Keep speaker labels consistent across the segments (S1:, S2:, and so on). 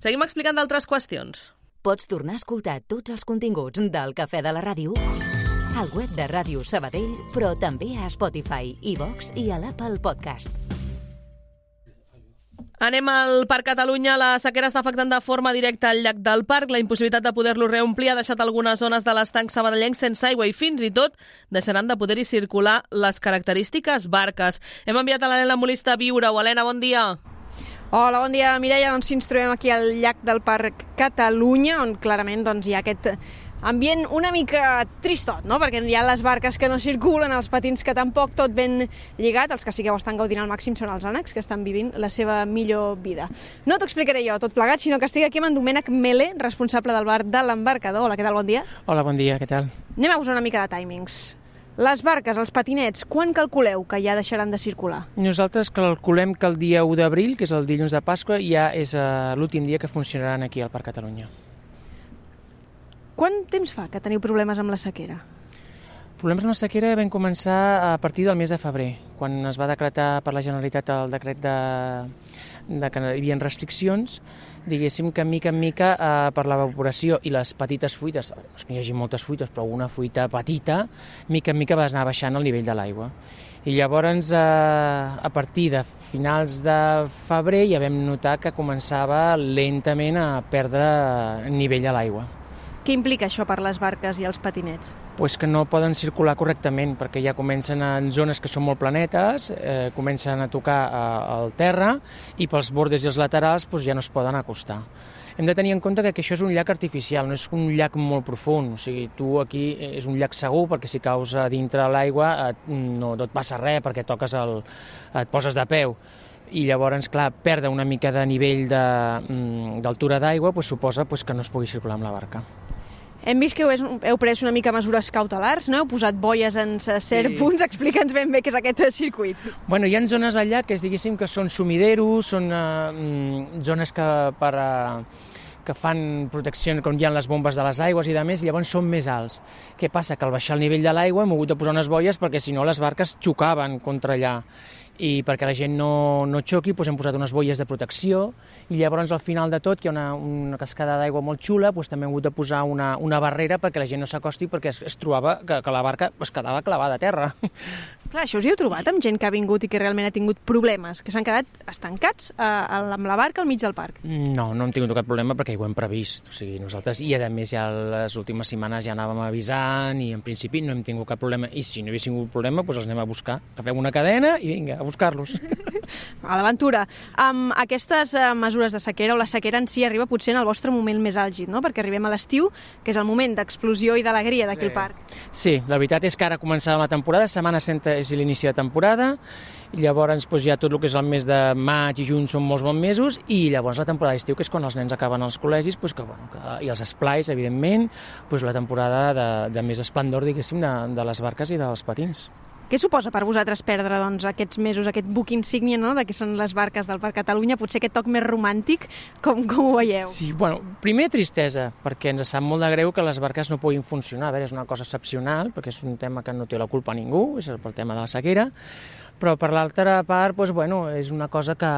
S1: Seguim explicant d'altres qüestions.
S2: Pots tornar a escoltar tots els continguts del Cafè de la Ràdio al web de Ràdio Sabadell, però també a Spotify, iVox i a l'Apple Podcast.
S1: Anem al Parc Catalunya. La sequera està afectant de forma directa al llac del Parc. La impossibilitat de poder-lo reomplir ha deixat algunes zones de l'estanc sabadellenc sense aigua i fins i tot deixaran de poder-hi circular les característiques barques. Hem enviat a l'Helena Molista a viure-ho. Helena, bon dia.
S3: Hola, bon dia, Mireia. Doncs sí, ens trobem aquí al llac del Parc Catalunya, on clarament hi ha aquest ambient una mica tristot, no? Perquè hi ha les barques que no circulen, els patins que tampoc, tot ben lligat. Els que sí que ho estan gaudint al màxim són els ànecs, que estan vivint la seva millor vida. No t'ho explicaré jo tot plegat, sinó que estic aquí amb en Domènec Mele, responsable del bar de l'Embarcador. Hola, què tal? Bon dia.
S4: Hola, bon dia, què tal?
S3: Anem a posar una mica de timings. Les barques, els patinets, quan calculeu que ja deixaran de circular?
S4: Nosaltres calculem que el dia 1 d'abril, que és el dilluns de Pasqua, ja és l'últim dia que funcionaran aquí al Parc Catalunya.
S3: Quant temps fa que teniu problemes amb la sequera?
S4: Problemes amb la sequera vam començar a partir del mes de febrer, quan es va decretar per la Generalitat el decret de que hi havia restriccions, diguéssim que mica en mica per l'evaporació i les petites fuites, no és que hi hagi moltes fuites, però una fuita petita, mica en mica va anar baixant el nivell de l'aigua. I llavors, a partir de finals de febrer, ja vam notar que començava lentament a perdre nivell a l'aigua.
S3: Què implica això per les barques i els patinets?
S4: Pues que no poden circular correctament, perquè ja comencen en zones que són molt planetes, comencen a tocar al terra i pels bordes i els laterals ja no es poden acostar. Hem de tenir en compte que això és un llac artificial, no és un llac molt profund, o sigui, tu aquí és un llac segur perquè si caus a dintre l'aigua no et passa res perquè et poses de peu. I llavors, clar, perdre una mica de nivell d'altura d'aigua suposa que no es pugui circular amb la barca.
S3: Hem vist que heu pres una mica mesures cautelars, no? Heu posat boies en certs punts. Explica'ns ben bé què és aquest circuit.
S4: Bueno, hi ha zones del llac que diguéssim que són sumideros, són zones que fan protecció quan hi ha les bombes de les aigües i de més, i llavors són més alts. Què passa? Que al baixar el nivell de l'aigua hem hagut de posar unes boies perquè si no les barques xocaven contra allà. I perquè la gent no xoqui hem posat unes boies de protecció i llavors al final de tot, que hi ha una cascada d'aigua molt xula, també hem hagut de posar una barrera perquè la gent no s'acosti perquè es trobava que la barca es quedava clavada a terra.
S3: Clar, això us hi heu trobat amb gent que ha vingut i que realment ha tingut problemes, que s'han quedat estancats amb la barca al mig del parc?
S4: No hem tingut cap problema perquè ho hem previst. O sigui, nosaltres, i a més ja les últimes setmanes ja anàvem avisant i en principi no hem tingut cap problema. I si no hi hagués tingut problema, els anem a buscar. Agafem una cadena i vinga, a buscar-los.
S3: A l'aventura. Amb aquestes mesures de sequera, o la sequera en si arriba potser en el vostre moment més àlgid, no? Perquè arribem a l'estiu, que és el moment d'explosió i d'alegria d'aquí al parc.
S4: Sí, la veritat és que ara començava la temporada, Setmana Santa és l'inici de temporada, i llavors ja tot el que és el mes de maig i juny són molts bons mesos, i llavors la temporada d'estiu, que és quan els nens acaben als col·legis, i els esplais, evidentment, la temporada de més esplendor, diguéssim, de les barques i dels patins.
S3: Què suposa per vosaltres perdre aquests mesos, aquest buc insígnia, no?, de què són les barques del Parc Catalunya, potser aquest toc més romàntic, com ho veieu?
S4: Sí, primer tristesa, perquè ens sap molt de greu que les barques no puguin funcionar. A veure, és una cosa excepcional, perquè és un tema que no té la culpa ningú, és pel tema de la sequera, però per l'altra part, és una cosa que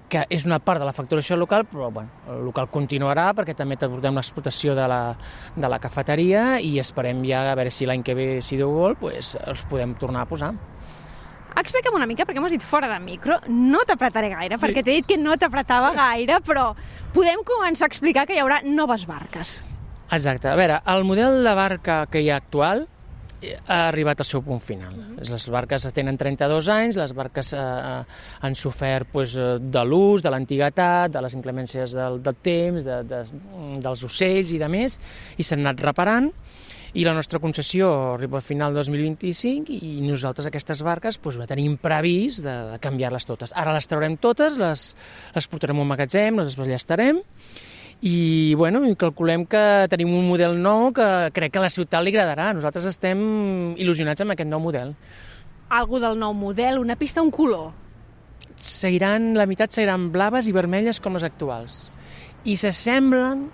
S4: és una part de la facturació local, però el local continuarà perquè també portem l'explotació de la cafeteria i esperem ja a veure si l'any que ve, si Déu vol, els podem tornar a posar.
S3: Explica'm una mica, perquè m'has dit fora de micro, no t'apretaré gaire, sí, perquè t'he dit que no t'apretava gaire, però podem començar a explicar que hi haurà noves barques.
S4: Exacte. A veure, el model de barca que hi ha actual ha arribat al seu punt final. Les barques tenen 32 anys, les barques han sofert de l'ús, de l'antiguitat, de les inclemències del temps, dels ocells i de més, i s'han anat reparant, i la nostra concessió arriba al final del 2025 i nosaltres aquestes barques tenim previst de canviar-les totes. Ara les traurem totes, les portarem a un magatzem, les desballestarem, i calculem que tenim un model nou que crec que a la ciutat li agradarà. Nosaltres estem il·lusionats amb aquest nou model.
S3: Algú del nou model, una pista, un color?
S4: La meitat seran blaves i vermelles com les actuals. I s'assemblen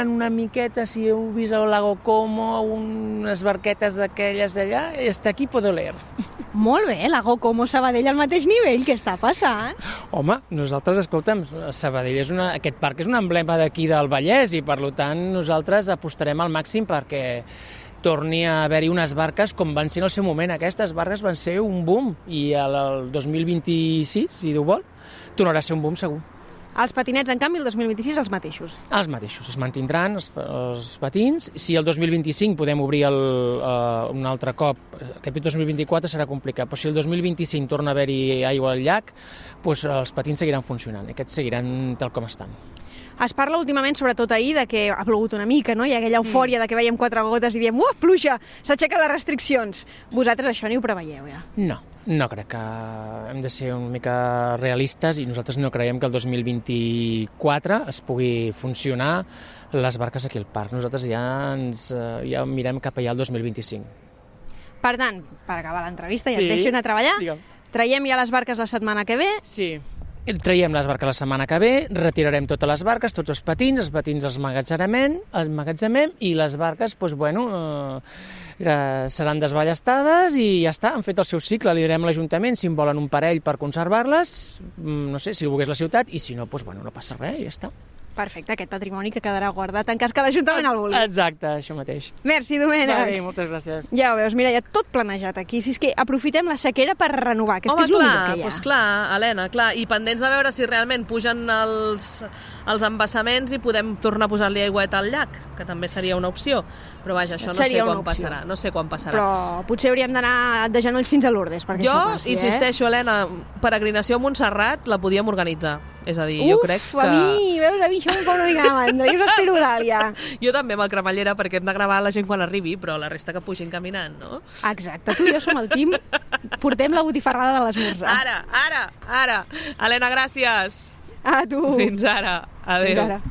S4: una miqueta, si heu vist el Lago Como, unes barquetes d'aquelles allà, està aquí Podoler.
S3: Molt bé, la Go-Como Sabadell al mateix nivell, què està passant?
S4: Home, nosaltres, escolta'm, Sabadell aquest parc és un emblema d'aquí del Vallès i, per tant, nosaltres apostarem al màxim perquè torni a haver-hi unes barques com van ser en el seu moment. Aquestes barques van ser un boom i el 2026, si Déu vol, tornarà a ser un boom segur.
S3: Els patinets, en canvi, el 2026 els mateixos.
S4: Els mateixos, es mantindran els patins. Si el 2025 podem obrir un altre cop, aquest 2024 serà complicat, però si el 2025 torna a haver-hi aigua al llac, doncs els patins seguiran funcionant, aquests seguiran tal com estan.
S3: Es parla últimament, sobretot ahir, de que ha plogut una mica, no? Hi ha aquella eufòria de que veiem 4 gotes i diem pluja, s'aixequen les restriccions. Vosaltres això ni ho preveieu, ja?
S4: No crec que hem de ser una mica realistes i nosaltres no creiem que el 2024 es pugui funcionar les barques aquí al parc. Nosaltres ja mirem cap allà al 2025.
S3: Per tant, per acabar l'entrevista, ja et deixo anar a treballar.
S4: Digue'm.
S3: Traiem ja les barques la setmana que ve.
S4: Sí. Traiem les barques la setmana que ve, retirarem totes les barques, tots els patins els emmagatzemem i les barques, seran desballestades i ja està, han fet el seu cicle, li direm a l'Ajuntament si en volen un parell per conservar-les, no sé, si ho volgués la ciutat, i si no, no passa res, ja està.
S3: Perfecte, aquest patrimoni que quedarà guardat en cas que l'Ajuntament el vulgui.
S4: Exacte, això mateix.
S3: Merci, Domènec.
S4: Bé, moltes gràcies.
S3: Ja ho veus, mira, ja tot planejat aquí. Si és que aprofitem la sequera per renovar, que és el millor que hi ha.
S1: Doncs clar, Helena, clar. I pendents de veure si realment pugen els embassaments i podem tornar a posar-li aigüeta al llac, que també seria una opció. Però vaja, això no sé quan passarà. No sé quan passarà.
S3: Però potser hauríem d'anar de genolls fins a Lourdes perquè això passi,
S1: insisteixo, Helena, peregrinació a Montserrat la podíem organitzar. És a dir, jo crec que...
S3: a mi això em fa una mica de mandra. Jo us espero, Dàlia.
S1: Jo també amb el cremallera, perquè hem de gravar la gent quan arribi, però la resta que pugin caminant, no?
S3: Exacte, tu i jo som el team. Portem la botifarrada de l'esmorzar.
S1: Ara. Helena, gràcies.
S3: A tu.
S1: Fins ara. Adéu.
S3: Fins ara.